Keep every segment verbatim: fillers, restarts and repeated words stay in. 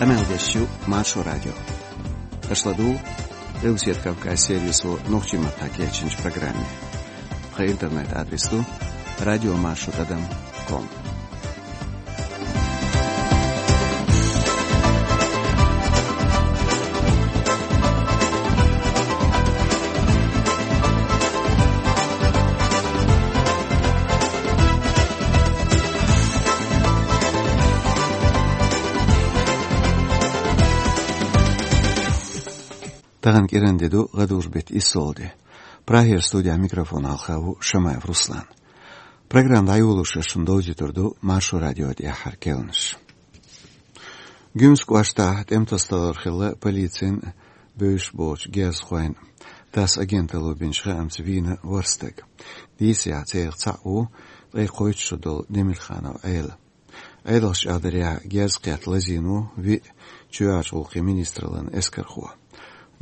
Къамел деш ю Маршо радио. Аша ладугӀу Къилбаседа Кавказ сервисо нохчийн маттахь кечйинчу программе. Тхан интернет-адрес ду радиомаршо тӀадам ком. Тахана кӀиран де ду, гӀадужу беттан иссалгӀа де. Прагера студехь микрофон хьалха ву Шамаев Руслан. Программа дӀайолош шуна довзуьйтур ду Маршо радион тӀаьххьара керланаш. Гуьмсан кӀоштахь тӀемтасадалар хилла полицин а, бевзаш болчу герзахойн а. ТАСС агенталло бинчу хаамца вийна ворхӀ стаг. Дийцарехь, царах цхьаъ ву ткъе кхойтта шо долу Демирханов Ӏела. Ӏедалша чӀагӀдарехь, герз кхетта лазийна ву виъ чоьхьарчу гӀуллакхийн министраллин эскархо.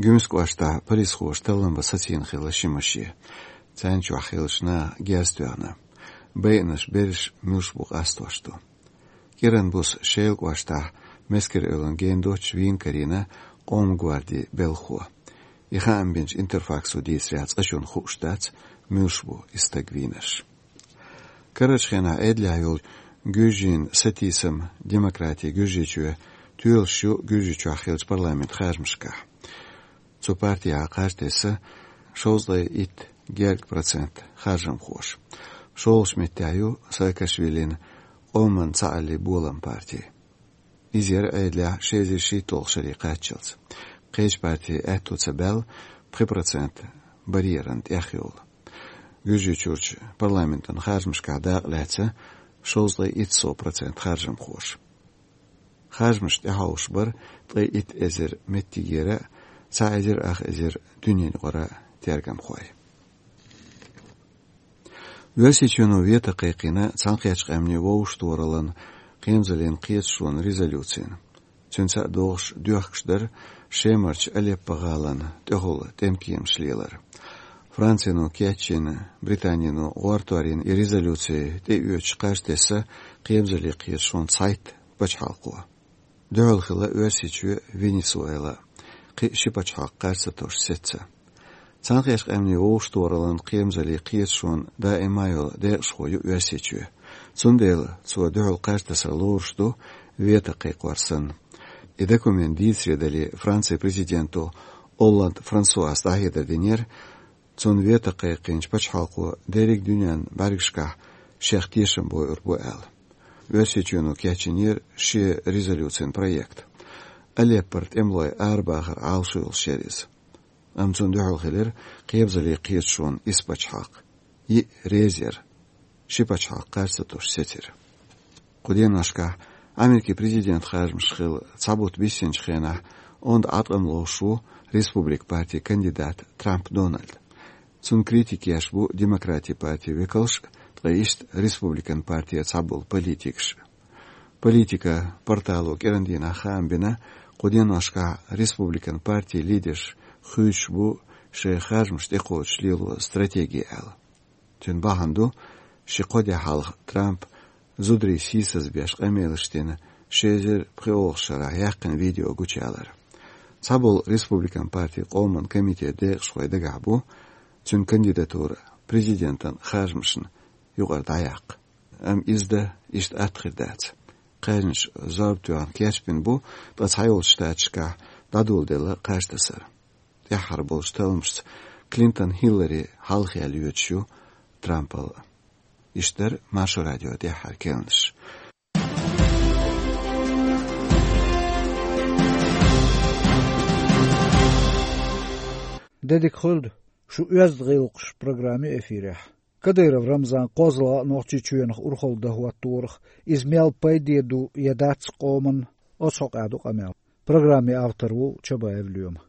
Гуьмсан кӀоштахь полисхоша таллам бан сацийна хилла ши машен. Царна чохь хиллачу наха герз тоьхна. Байинарш берриш муьлш бу къастош ду. КӀиран буса Шелан кӀоштахь Мескер-Эвлан гена доцчу вийна карийна Къоман гвардин белхахо. И хаам бинчу Интерфаксо дийцарехь, цкъачунна хууш дац, муьлш бу и стаг вийнарш. Карарчу хенахь Ӏедалехь йолчу Гуьжийн сатийсам, демократи Гуьржийчоь тоьлуш ю Гуьржийчохь хиллачу парламентан харжамашкахь. Цу партехь кхаж тесна шовзткъе итт гергга процент харжамхоша. ШолгӀачу меттехь ю Саакашвилин Къоман цхьааллин болам парти. Иза яра Ӏедалехь ши эзар шийтталгӀачу шаре кхаччалц. Кхечу партийн аьтто ца баьлла пхи процент барьеран тӀехйолу. Гуьржийчуьрчу парламентан харжамашкахь дакъа лаьцна шовзткъе итт сов процент харжамхоша. Харжамаш тӀехьовсуш бара ткъе итт эзар меттигера а, цхьа эзар ах эзар дуьненаюкъара тергамхой. Оьрсийчоьно вето кхайкхийна Цхьаьнакхеттачу Къаьмнийн Вовшахтохараллин кхерамзаллин кхеташонан резолюцина. Цуьнца а догӀуш доьхкуш дара Шемарчу Алеппо-гӀалина тӀехула тӀемкеманаш лелар. Францино кечйина, Британино гӀортор йина и резолюци тӀеоьцуш кхаж тесна кхерамзаллин кхеташонан цхьайтта пачхьалкхо. Дуьхьал хилла Оьрсийчоь, Венесуэла, кхин ши пачхьалкх кхаж ца тосуш сецна. Цхьаьнакхеттачу Къаьмнийн Вовшахтохараллин кхерамзаллин кхеташонан даима йолу декъашхо ю Оьрсийчоь. Цундела цо дуьхьал кхаж тасар лоруш ду, вето кхайкхор санна. И документ дийцаре дале, Францин президенто Олланд Франсуас дӀахьедар динера, цунна вето кхайкхийначу пачхьалкхо дерриг дуьненан бӀаьргашкахь шех тешам бойур бу аьлла. Оьрсийчоьно кечйинера шен резолюцин проект. Алеппора тӀемалой арабахар Ӏалашо йолуш яра иза. Амма цунна дуьхьал хилира кхерамзаллин кхеташонан исс пачхьалкх. Йиъ реза яра, ши пачхьалкх кхаж ца тосуш сецира. Кху деношкахь Америкин президентан харжамаш хилла цхьа бутт биссинчу хенахь онда Ӏаткъам ловш ву Республикан партин кандидат Трамп Дональд. Цунна критика еш бу Демократийн партин векалш а, ткъа иштта Республикан партера цхьаболу политикаш а. Политика портало кӀиран дийнахь хаам бина, кху деношкахь Республикан партин лидерш хуьйцуш бу шайн харжамаш тӀекхочуш лело стратеги аьлла. Цуьнан бахьана ду, ши-кхо де хьалха Трампа зударий сийсазбеш къамелаш дина ши эзар пхоьалгӀачу шарахь яьккхина видео гучуялар. Цхьаболу Республикан партин Къоман комитетан декъашхой дагахь бу цуьнан кандидатура президентан харжамашна юкъара дӀаяккха. Амма иза дан иштта атта хир дац. Кхаьжнаш зорба тоьхна кечбина бу, ткъа Цхьайолчу Штаташкахь дӀадоладелла кхаж тасар. ТӀаьххьара болчу талламашца Клинтон Хиллари хьалхаяьлла йоьдуш ю Трампал. Иштта дара Маршо радион тӀаьххьара керланаш. Де дика хуьлда, шу «Оьзда гӀиллакхаш» программа ю эфирехь. Кадыров Рамзан кхозлагӀа а Нохчийчоьнах урхалла дан хӀотторах, иза мел пайде ду я дац къоманна, оцу хьокъехь ду къамел. Программин автор ву Чабаев Лоьма.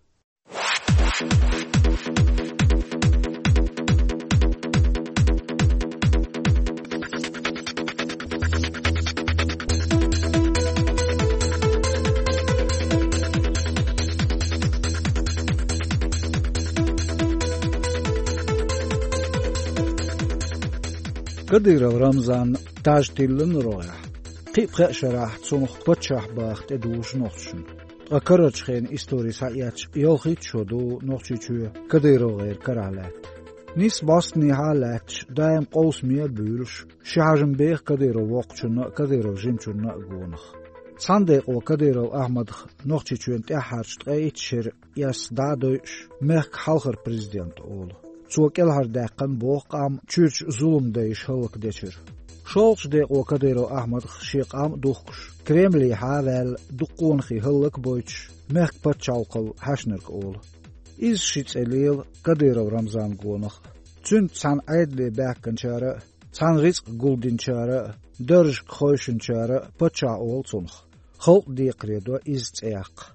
Кадыров Рамзанна таж тиллина рогӀехь. Кхин а пхеа шарахь цунах паччахь баха тӀедужу нохчашна. Ткъа карарчу хенан истори схьаэцча, ялхитта шо ду Нохчийчоь КадыровгӀеран карахь лаьтта. Нийсса бӀостанехьа а лаьтташ, даим къовсаме а буьйлуш, ши хьажам беха Кадыров воккхачунна а, Кадыров жимачунна а гонах. Цхьана декъо Кадыров Ахьмадах Нохчийчоьнан тӀаьххьарчу ткъе итт шеран эс дӀа а дойуш, мехкан хьалхара президент олу. Цо кӀелхьардаьккхина боху къам чуьрачу зуламдайша хӀаллакдечуьра. ШолгӀачу декъо Кадыров Ахьмадах шен къам а духкуш, Кремлехьа а ваьлла, дукха къонахий хӀаллакбойтуш, мехкан пачхьалкхал хьаьшнарг олу. Иза ши цӀе лела Кадыров Рамзанна гонах а. Цуьнца цхьаьна Ӏедале баьхкинчара а, цхьаьна рицкъ гулдинчара а, даржашка хойшинчара а паччахь олу цунах. Халкъ декхаре до иза цӀе яккха.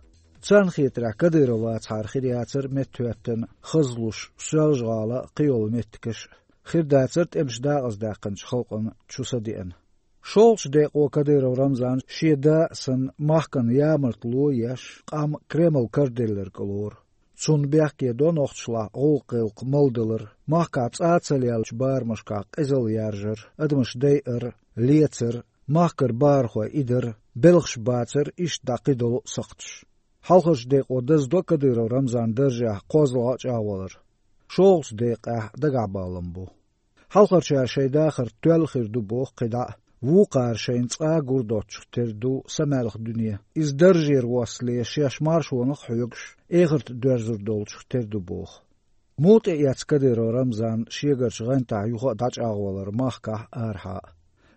Царна хетарехь, Кадыров вацахьара хир яцара меттахӀоьттина хазлуш Соьлжа-ГӀала а, кхийолу меттигаш а, хир дацара тӀемаш дакъаздаьккхинчу халкъана чу са деана. ШолгӀачу декъо Кадыров Рамзан шен да а санна махкана ямартло а еш, къам Кремль караделларг а лору. Цунна бехке до нохчашлахь гӀуллакх-гӀиллакх малдалар, махкахь цӀа а ца леллачу барамашкахь къизалла яржар, адамаш дайар, лецар, махкара бахархой идар, белхаш бацар, иштта дӀа кхидолу а сакхташ. Хьалхарчу декъо даздо Кадыров Рамзанан даржехь кхозлагӀа а чӀагӀвалар. ШолгӀачу декъехь дагахь баллам бу. Хьалхарчара шайн дахар тоьлла хир ду боху кхидӀа а, вукхара шайна цкъа а гур доцчух тера ду самаьлха дуьне. Иза даржера воссале шаьш маршонах а хьоьгуш, эхарта доьрзур долчух тера ду боху. Муха тӀеэцна Кадыров Рамзан шегарчу гӀантахь юха а дӀачӀагӀвалар махкахь а, арахьа а?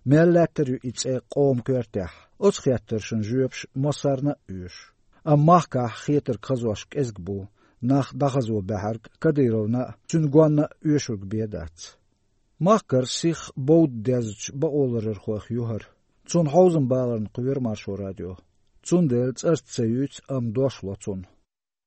Мел лаьттар ю и цӀе къоман коьртехь? Оцу хеттаршна жоьпаш массарна а оьшу. Амма махкахь хетарг хазош кӀезиг бу, нах дӀахазо баьхьарг Кадыровна а, цуьнан гонна а оьшург бен дац. Махкара сиха бовда дезачу бакъоларъярхойх ю хӀара. Цунна хьовзам баларна кхоьру Маршо радио. Цундела цӀарца ца юьйцу, амма дош ло цунна.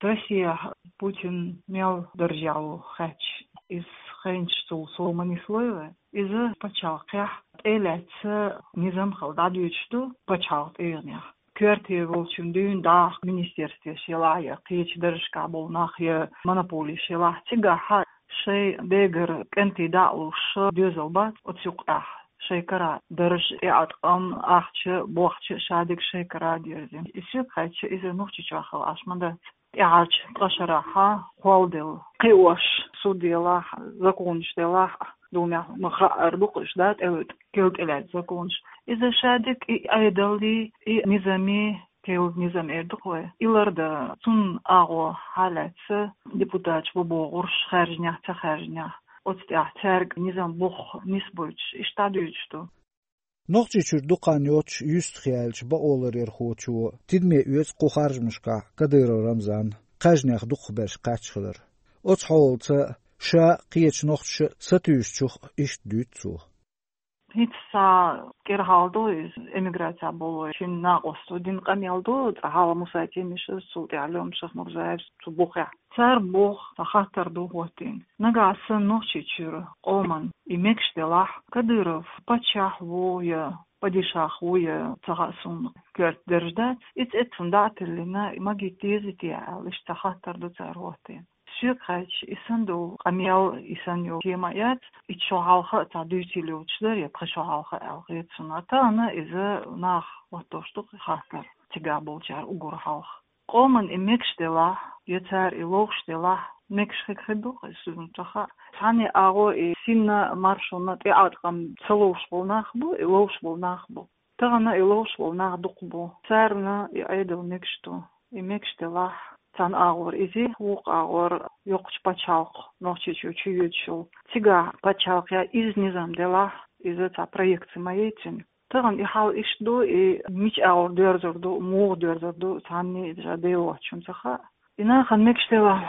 Россияхь Путин мел даржехь ву хаьттича, иза хенчу цул сов ма нислой вай. Иза пачхьалкхехь тӀе а лаьцна низам хила дӀадоьдуш ду пачхьалкхан тӀегӀанехь. Коьрте волчун дуьйна даха министерствеш елахь я кхечу даржашкахь болу нах я монополеш елахь, цигахь шайн дегара кӀентий дӀа а луш доьзал бац оцу юккъехь шайн кара дарж, тӀеӀаткъам, ахча, бохча шадерг шайн кара а дерзийна. И соьга хаьттича, иза Нохчийчохь хила Ӏаш ма дац. ТӀаьхьарчу ткъа шарахь кхолладелла кхиош, суд елахь, законаш делахь а, Думехь ма хаьара ду-кх уьш, да, тӀелуьйту, кел тӀелаьцна законаш. Иза шадерг и Ӏедалан, и низаман, кел низам эр ду-кх вай, и лардан, цунна агӀо хьалаьцна депутаташ бу бохурш, хаьржинехь, ца хаьржинехь, оцу тӀехь цаьрга низам бух нисбойтуш, иштта дӀадоьдуш ду. Нохчийчуьра дукха хан йоццуш юьстах яьллачу бакъоларъярхочо тидаме оьцу кху харжамашкахь Кадыров Рамзан кхаьжнех дукхахберш кхаьчна хилар. Оцу хьолаца ша а, кхечу нохчаша а сатуьйсучух иштта дуьйцу цо. ХӀинца цхьа кӀира хьал ду иза, эмиграцехь болу шина накъосто дина къамел ду, цкъа хьалха Муса Темишевс, цул тӀаьхьа Лёма Шахмурзаевс цу бухехь. Цара боху, цхьа хаттар ду хӀоттийна. Нагахь санна Нохчийчуьра къоман и мегаш делахь, Кадыров паччахь ву я падишах ву я, ца хаьа суна, коьрта дерш дац, и цӀе цунна дӀа а тиллина, магийта дезий те аьлла, иштта цхьа хаттар ду цара хӀоттийна. Соьга хаьттича, и санна долу къамел, и санна йолу тема яц, итт шо хьалха а цхьа дуьйцийла йоцуш дара, я пхи шо хьалха а аьлла хета суна. Тахана иза наха хӀоттош ду-кх и хаттар, цигахь болчара уггар хьалха. Къоман и мегаш делахь, я цара и ловш делахь, мегаш хир ду-кх иза, суна ца хаьа. Цхьанне агӀор и синна, маршонна тӀеӀаткъам ца ловш болу нах бу, и ловш болу нах бу. Тахана и ловш болу нах дукха бу. Царна и Ӏедал мегаш ду. И мегаш делахь, цхьана агӀор иза, вукху агӀор йоккхачу пачхьалкх Нохчийчу чу йоьдуш йолу. Цигахь пачхьалкхехь иза низам делахь, иза цхьа проекция ма яй цуьнан. Тахана и хьал иштта ду, и мича агӀор доьрзур ду, муха доьрзур ду, цхьанне а иза Дела воцчунна ца хаьа. И нахана мегаш делахь,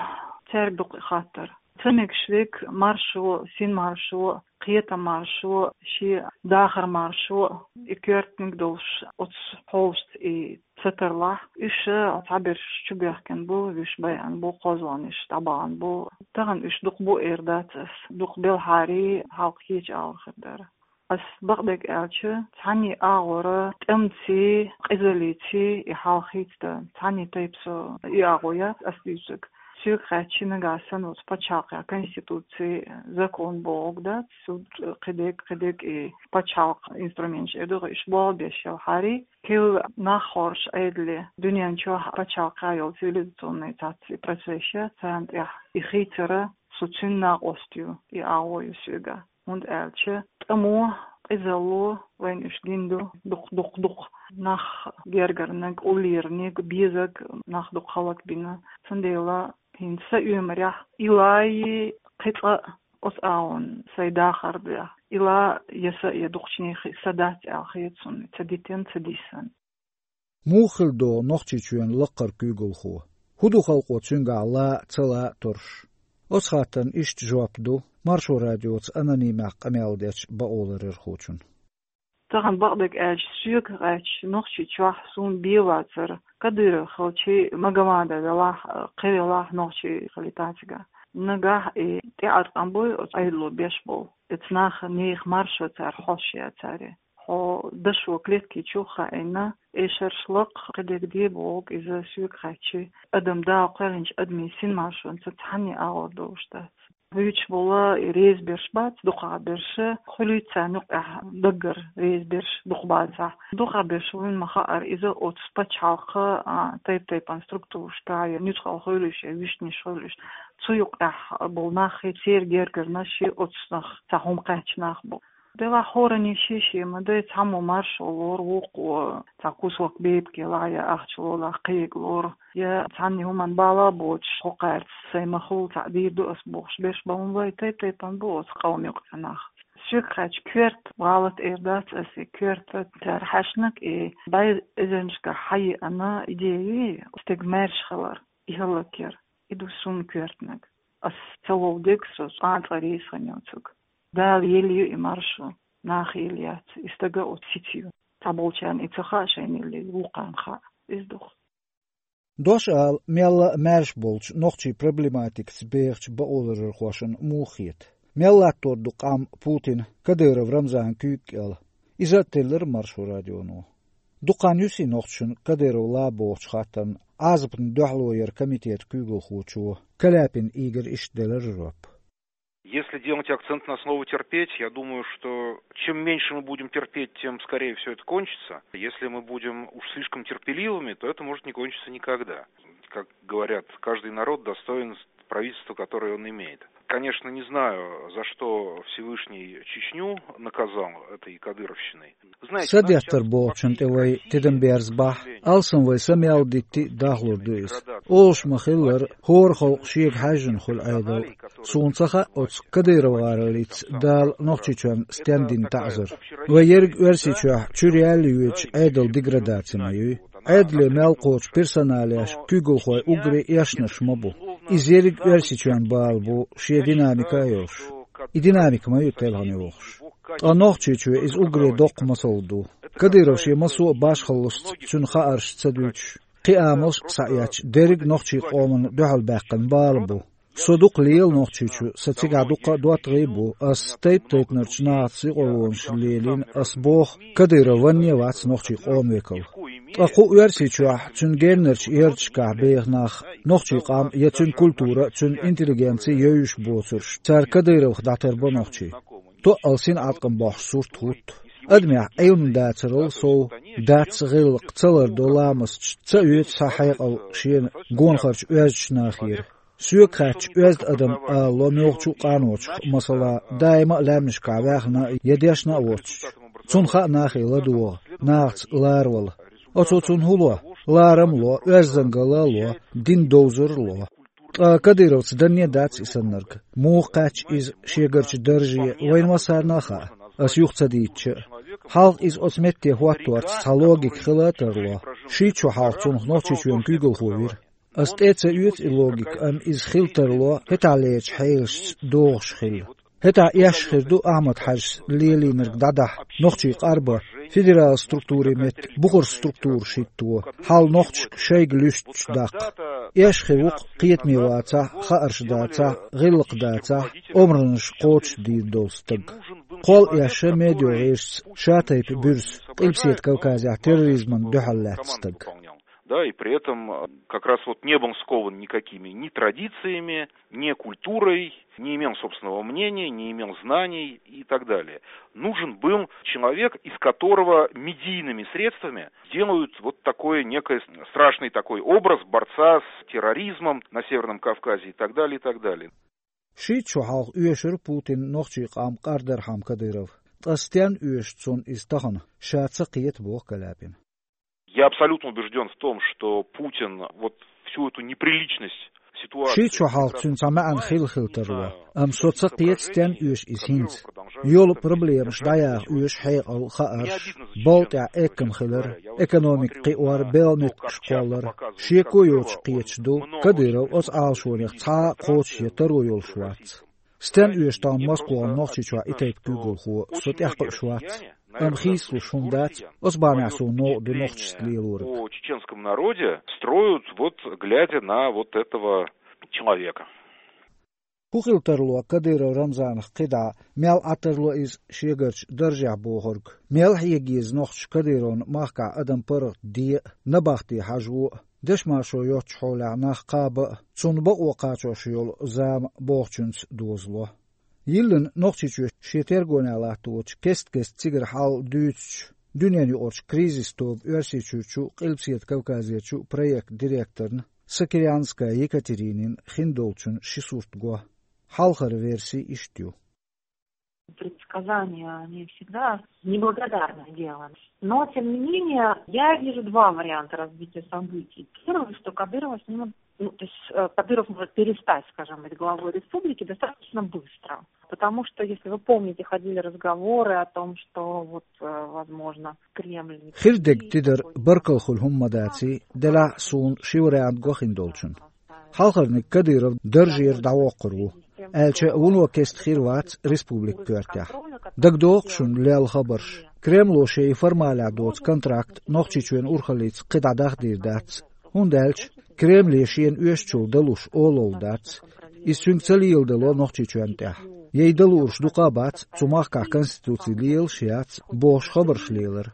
цаьрга ду-кх и хаттар. Ца мегаш верг маршо, синмаршо, кхетамаршо, шен дахармаршо, и коьртаниг долуш оцу хьолашца и ца тарлахь, уьш цхьаберш чубоьхкина бу, вуьш байъина бу, кхозлагӀнаш дӀабахана бу. Тахана уьш дукха бу эр дац ас, дукха белхьарий, хьалха кхечу агӀор хир дара. Ас бакъдерг аьлча, цхьанне агӀора тӀемций, къизаллиций и хьал хийцадан, цхьанне тайпа со и агӀо яц ас дуьйцург. Соьга хаьттича, нагахь санна оцу пачхьалкхан конституци, закон бохург дац, суд, кхидерг, кхидерг и пачхьалкхан инструменташ эр ду, уьш болх беш ялахьара, кхин нах хоржуш Ӏедале, дуьнен чохь пачхьалкхан йолу цивилизационный цхьацца и процесс я, царна тӀехь и хийцар, со цуьнан накъост ю, и агӀо ю соьга. ХӀунда аьлча тӀамо, къизалло вайна уьш гина ду, дукха, дукха, дукха нах гергарниг, уллерниг, безарг нах дукха хӀаллакбина. Цундела хӀинца са оьмарехь, и лай, кхин цкъа а оцу агӀонна сайн дахар ду, и ла я са, я дукхачу нехан са дац аьлла хета суна, ца дитина, ца дисина. Муха хила догӀу Нохчийчоьнан лакхара куьйгалхо? ХӀун ду халкъо цуьнгахь лан а, ца лан а торуш? Оцу хаттарна иштта жоп ду Маршо радиоца анонимехь къамел дечу бакъоларъярхочун. Тахана бакъдерг аьлча, соьга хаьттича, Нохчийчохь суна бен вацара, Кадыров хилча, Магомадов велахь, кхин велахь, нохчи хилийта цигахь. Нагахь и тӀеӀаткъам буй оцу Ӏедало беш болу, оцу наха, нехан маршо цара хьош яцара. Хьо дашо клетки чу хаийна, эшарш лакха, кхидерг де бохург, иза соьга хаьттича, адам Дала кхоьллинчу адамийн синмаршонца цхьанне агӀор долуш дац. Вуьйцуш болу и реза берш бац, дукхахберш, хуьлуьйту царна юкъехь даггара реза берш дукха бацахь. Дукхахберш вуьйна ма хаара, иза оцу пачхьалкхан, а, тайп-тайпана структурашкахь я нуьцкъала хуьлуш, я вуьшнаш хуьлуш, цу юкъехь болу нах, церан гергарнаш, оцу нах, цхьа хӀума кхаьчна нах бу. Делахь хӀоранна шен-шен ма дай, цхьаммо маршо лору, вукхо цхьа кусок бепиг лахь я ахча лолахь кхига лору, я цхьанне хӀуманна бала а боцуш, хӀокхаьрца сайн ма хуьлу, цхьаъ дийр ду ас бохуш берш бан вай тайп-тайпана бу оцу къоман юкъахь нах. Соьга хаьттича, коьрта гӀалат эр дац ас, и коьрта цара хьаьшнаг, и бӀе эзарнашкахь хьайеана идея, стеган маьрша хилар, и хӀаллакьяр, и ду суна коьртаниг. Ас ца вовдерг со цкъа а реза хан йоцург. Дала елла ю и маршо, наха елла яц, и стага оцу сица ю. Цхьаболчарна и ца хаьа шайна елла, вукхарна хаьа. Иза ду-кх. Дош ала, мелла а маьрша болчу нохчийн проблематикаца бехачу бакъоларъярхошна муха хета? Мел латтор ду къам Путин, Кадыров Рамзан куьйга кӀел? Иза а теллира Маршо радионо. Дукха хан юьсий нохчашна Кадыров лан бохучу хаттарна Ӏазапна дуьхьало яран комитетан куьйгалхочо Каляпин Игоря иштта делира жоп. Если делать акцент на слово «терпеть», я думаю, что чем меньше мы будем терпеть, тем скорее все это кончится. Если мы будем уж слишком терпеливыми, то это может не кончиться никогда. Как говорят, каждый народ достоин правительства, которое он имеет. Конечно, не знаю, за что Всевышний Чечню наказал этой кадыровщиной. Са деттар бохучунна тӀе вай тидам берзабахь, алсам вай са мел дитти а дахлур ду иза. Олуш ма-хиллара, хӀора халкъ шега хьаьжжина хуьлу Ӏедал. Суна ца хаьа оцу Кадыров гӀароллица Дала Нохчийчоьнна стенна дина таӀзар. Вай ерриг Оьрсийчохь чуьра яьлла йоьдуш Ӏедалан деградаци ма юй. Ӏедале мел кхочу персоналеш, куьйгалхой уггаре эшнарш ма бу. Иза ерриг Оьрсийчоьнан бала бу, шен динамика а йолуш. И динамика ма ю телхина йохуш. Ткъа Нохчийчоь иза уггаре доккха масал ду. Кадыров шен массо а башхаллашца цуьнан хаарш ца дуьйцуш, кхин амалш а схьаэцча, дерриг а нохчийн къомана дуьхьалбаьккхина бала бу. Со дукха лела Нохчийчу, сан цигахь дуккха а доттагӀий а бу, ас тайп-тайпанарчу нахаца юкъарлонаш лелийна, ас боху, Кадыров ванне а вац нохчийн къоман векал. Ткъа кху Оьрсийчохь, цуьнан геннарчу ярташкахь беха нах, нохчийн къам я цуьнан культура, цуьнан интеллигенци йовзуш боцурш, цара Кадыровх дӀатарбо нохчий. Тоъал синӀаткъам бохьуш сурт хӀутту. Адамехь Ӏилма дацарал сов, дац гӀиллакх, ца лардо ламасташ, ца оьцу цхьа хьекъал шена гонахарчу оьздачу нахера. Соьга хаьттича, оьзда адам ала ло муьлххачу а къаночух, масала, даима а лаьмнашкахь ваьхна а, я дешна а воцчу. Цунна хаьа нахе ладогӀа, нахаца ларавала. Оцо цунна хӀун ло? Ларам а ло, оьздангалла а ло, дин довзар а ло. Ткъа Кадыровца данне а дац и саннарг. Муха кхаьчча иза шегарчу дарже, вайна массарна а хаьа, ас юха ца дийцча а. Хьалха иза оцу метте хӀотторца цхьа логика хила а тарло. Шийтта шо хьалха цунах Нохчийчоьнан куьйгалхо вира. Ас тӀе а ца оьцу и логика, амма иза хила тарло, хӀетахьлерчу хьелашца догӀуш хилла. ХӀетахь эшна хир ду Ахьмад-Хьаьжас лелийнарг дӀадахьа, нохчий къарбан, федералан структурийн метта бухара структураш хӀитто, хьал нохчашка шайга луьстуш даккха. Эшна хир ву-кх кхетаме вацахь, хаарш дацахь, гӀиллакх дацахь, омранаш кхочушдийр долу стаг. Кхолла эшна медиа гӀирсаца ша тайпа буьрса, Къилбаседа Кавказехь терроризмана дуьхьал лаьтта стаг. Да, и при этом э, как раз вот не был скован никакими ни традициями, ни культурой, не имел собственного мнения, не имел знаний и так далее. Нужен был человек, из которого медийными средствами делают вот такой некий страшный такой образ борца с терроризмом на Северном Кавказе и так далее, и так далее. Шийтта шо хьалха оьшура Путинна нохчийн къам къардархьама Кадыров. Ткъа стенна оьшу цунна иза тахана, ша ца кхета, боху Каляпина. Я абсолютно убежден в том, что Путин вот всю эту неприличность ситуации... Шийтта шо хьалха цуьнан цхьа маьӀна хилла хила тарло, амма со ца кхета, стенна оьшу иза хӀинца. Йолу проблемаш дӀаяха оьшу хьекъал, хаарш, балла тӀехь эккам хилар, экономика кхиор, белхан нуьткаш кхоллар. Шеко йоцуш кхеташ ду, Кадыров оцу Ӏалашонех цхьа а кхочуш я таро йолуш вац. Стенна оьшу тахана Москвахь Нохчийчохь и тайпа куьйгалхо, со тӀекхуьуш вац. Амма хийцалуш хӀума дац, оцу бахьанехь суна новкъа ду нохчашца лелориг. О чеченском народе строят, вот глядя на вот этого человека. ХӀун хила тарло Кадыров Рамзанах кхидӀа, мел Ӏа тарло иза шегарчу даржехь бохург? Мел хьега еза нохчаша Кадыровна махкахь адам паргӀат де а, набахте хьажо а, дешмашо йоцчу хьолехь нах кхаба а, цунна бакъо кхачош йолу зама бохучуьнца дозало? Йиллина Нохчийчоь шен тергонехь латточу кест-кеста цигара хьал дуьйцучу дуьненаюкъарчу кризис тоба Оьрсийчуьрчу, Къилбаседа Кавказерчу проект директорна Сокирянская Екатеринина хиндолчун ши сурт го. Хьалхара верси иштта ю. Предсказания, они всегда неблагодарное дело. Но, тем не менее, я вижу два варианта развития событий. Первый, что Кадырова снимут, ну, то есть э, Кадыров может перестать, скажем, быть главой республики достаточно быстро. Потому что, если вы помните, ходили разговоры о том, что вот, э, возможно, Кремль... Хир дерг тидар баркалла хуьлу хӀума ма даций, делахь а суна ши вариант го хиндолчун. Хьалхарниг Кадыров даржера дӀавоккхур ву, аьлча вуно кеста хир вац республика коьртехь. ДагадогӀу шуна лелла хабарш. Кремло шайн формалехь доцу контракт Нохчийчоьнан урхаллица кхидӀа дахдийр дац, хӀунда аьлча Кремле шена оьшучул далуш олалла дац. Иза цуьнга ца леладало Нохчийчоьнна тӀехь. Яй далуурш дукха а бац, цу махкахь конституци лелаш яц, бохуш хабарш лелара.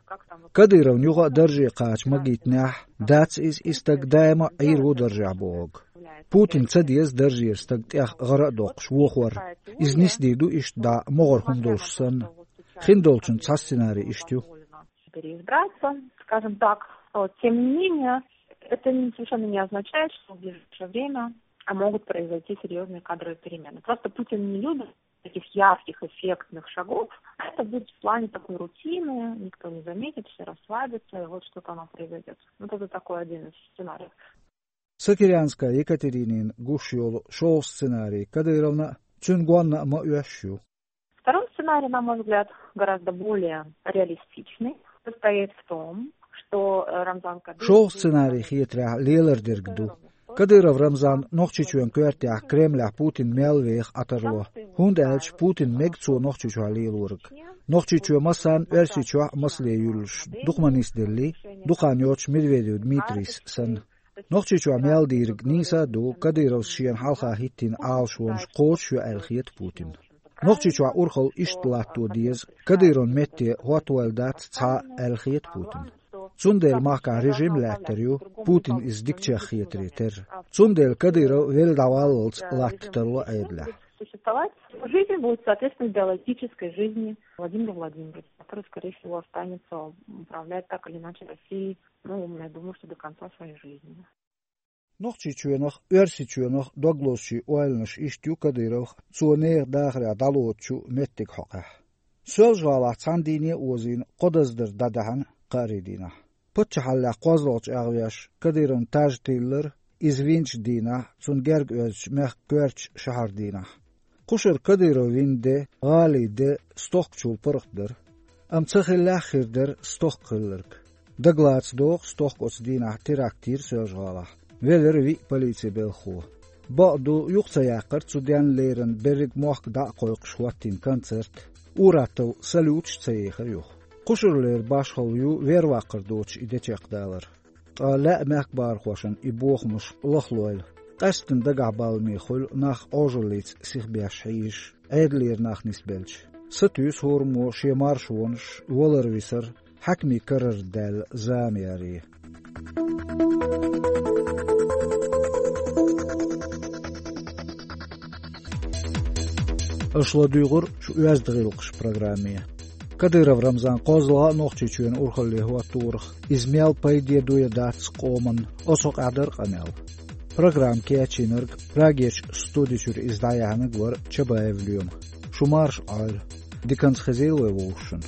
Кадыровна юха а дарже кхача магийтинехь, дац иза и стаг даима а Ӏийр ву даржехь бохург. Путин ца деза даржера стаг тӀех гӀара а доккхуш вохор. Иза нисдийр ду иштта дӀа могӀара хӀума долуш санна. Хиндолчун цхьа сценарий иштта ю. Переизбраться, скажем так. Вот. Тем не менее, это не- совершенно не означает, что в ближайшее время а могут произойти серьезные кадровые перемены. Просто Путин не любит таких ярких, эффектных шагов. А это будет в плане такой рутины, никто не заметит, все расслабятся, и вот что-то оно произойдет. Вот это такой один из сценариев. Сокирянская Екатеринина гуш йолу шолгӀа сценарий Кадыровна а, цуьнан гонна а ма оьшуш ю. Второй сценарий, на мой взгляд, гораздо более реалистичный, состоит в том, что э, Рамзан Кадыров... ШолгӀа сценарий хетарехь лелар дерг ду. Кадыров Рамзан Нохчийчоьнан коьртехь Кремлехь Путин мел веха Ӏа тарло, хӀунда аьлча Путин мега цо Нохчийчохь лелориг. Нохчийчоь массарна Оьрсийчохь а масале юьллуш дукха ма нисделлий, дукха хан йоцуш Медведев Дмитрийс санна. Нохчийчохь мел дийриг нийса а ду, Кадыровс шена хьалха хӀиттийна Ӏалашонаш кхочуш ю аьлла хета Путинна. Нохчийчохь урхалла иштта латто деза, Кадыровн метте хӀоттавойла дац цхьа а аьлла хета Путинна. Цундела махкахь режим лаьттар ю, Путин иза дикачех хетаре терра. Цундела Кадыров велла дӀаваллалц латта тарло Ӏедалехь. Существовать. Жизнь будет соответствовать биологической жизни Владимира Владимировича, который, скорее всего, останется управлять так или иначе Россией, ну, я думаю, что до конца своей жизни. Нохчийчоьнах, Оьрсийчоьнах дог лозучийн ойланаш иштта ю Кадыровх, цо нехан дахарехь дӀалоцучу меттиг хьокхехь. Соьлжа-ГӀалахь цхьана дийне а озийна, кхо даздар дӀадаьхьна кхаарин дийнахь. Паччахьаллехь кхозлагӀчу агӀвеш Кадыровн таж тиллар, иза винчу дийнахь, цунна герга оьзучу мехкан коьртачу шахьар дийнахь. Кхушара Кадыров вина де, гӀалин де стохкачул паргӀат дара. Амма ца хиллехь а хир дара стохка хилларг. Дагалаца догӀу стохка оцу дийнахь теракт йира Соьлжа-ГӀалахь. Велира виъ полицин белхахо. Бакъду, юха ца яккхара цу денна леррина берриг мохк дӀа а кхойкхуш хӀоттийна концерт. Ур-атталла салюташ а ца ехара юха. Кхушарлера башхалла ю верваккхар доцуш и де чекхдалар. Ткъа лаьа мехкан бахархошна и бохамаш лахлойла, къаьсттина дагахь баламе хуьлу нах Ӏожаллица сихбеш хьийзаш, Ӏедалера нах нисбелча. Сатуьйсу хӀораммо шен маршонаш, валар-висар, хьаькамийн карара даьлла зама яре. Аша ладуьйгӀура шу «Оьзда гӀиллакхаш» программе. Кадыров Рамзан кхозлагӀа а Нохчийчоьнан урхалле хӀотторах, иза мел пайде ду я дац къоманна, оцу хьокъехь дара къамел. Программа кечйинарг, Прагерчу студи чуьра иза дӀаяьхьнарг вара Чабаев Лоьма. Шу марша Ӏойла. Диканца хезийла вай вовшашна.